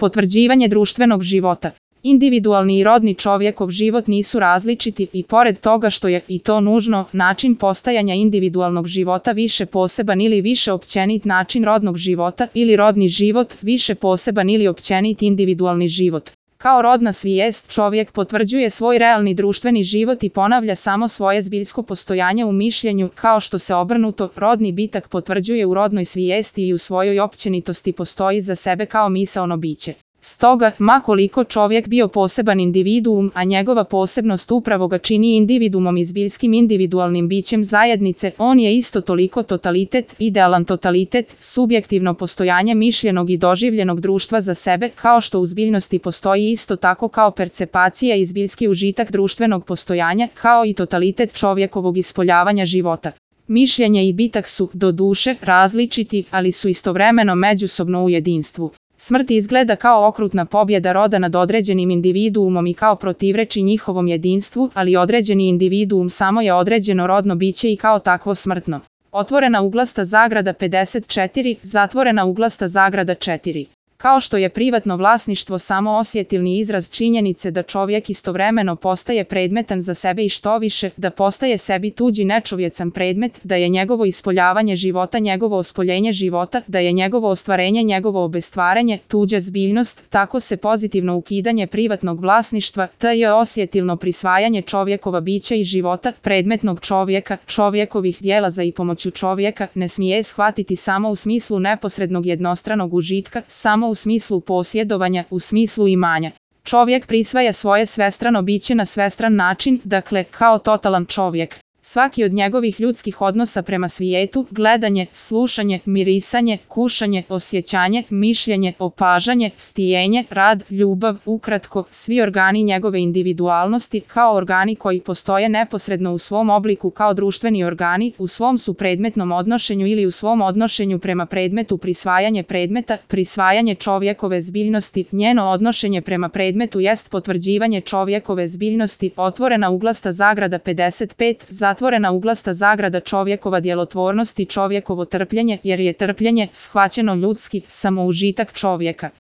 Potvrđivanje društvenog života. Individualni i rodni čovjekov život nisu različiti i pored toga što je, i to nužno, način postajanja individualnog života više poseban ili više općenit način rodnog života ili rodni život više poseban ili općenit individualni život. Kao rodna svijest čovjek potvrđuje svoj realni društveni život i ponavlja samo svoje zbiljsko postojanje u mišljenju, kao što se obrnuto rodni bitak potvrđuje u rodnoj svijesti i u svojoj općenitosti postoji za sebe kao misaono biće. Stoga, ma koliko čovjek bio poseban individuum, a njegova posebnost upravo ga čini individuumom i zbiljskim individualnim bićem zajednice, on je isto toliko totalitet, idealan totalitet, subjektivno postojanje mišljenog i doživljenog društva za sebe, kao što u zbiljnosti postoji isto tako kao percepacija i zbiljski užitak društvenog postojanja, kao i totalitet čovjekovog ispoljavanja života. Mišljenje i bitak su, doduše, različiti, ali su istovremeno međusobno u jedinstvu. Smrt izgleda kao okrutna pobjeda roda nad određenim individuumom i kao protivreči njihovom jedinstvu, ali određeni individuum samo je određeno rodno biće i kao takvo smrtno. Otvorena uglasta zagrada 54, zatvorena uglasta zagrada 4. Kao što je privatno vlasništvo samo osjetilni izraz činjenice da čovjek istovremeno postaje predmetan za sebe i što više, da postaje sebi tuđi nečovjecan predmet, da je njegovo ispoljavanje života njegovo ospoljenje života, da je njegovo ostvarenje njegovo obestvaranje, tuđa zbiljnost, tako se pozitivno ukidanje privatnog vlasništva, te je osjetilno prisvajanje čovjekova bića i života, predmetnog čovjeka, čovjekovih dijela za i pomoću čovjeka, ne smije shvatiti samo u smislu neposrednog jednostranog užitka, samo u smislu posjedovanja, u smislu imanja. Čovjek prisvaja svoje svestrano biće na svestran način, dakle, kao totalan čovjek. Svaki od njegovih ljudskih odnosa prema svijetu, gledanje, slušanje, mirisanje, kušanje, osjećanje, mišljenje, opažanje, htijenje, rad, ljubav, ukratko, svi organi njegove individualnosti, kao organi koji postoje neposredno u svom obliku kao društveni organi, u svom su predmetnom odnošenju ili u svom odnošenju prema predmetu prisvajanje predmeta, prisvajanje čovjekove zbiljnosti, njeno odnošenje prema predmetu jest potvrđivanje čovjekove zbiljnosti, otvorena uglasta zagrada 55, zatvorena uglasta zagrada čovjekova djelotvornost i čovjekovo trpljenje, jer je trpljenje, shvaćeno ljudski, samoužitak čovjeka.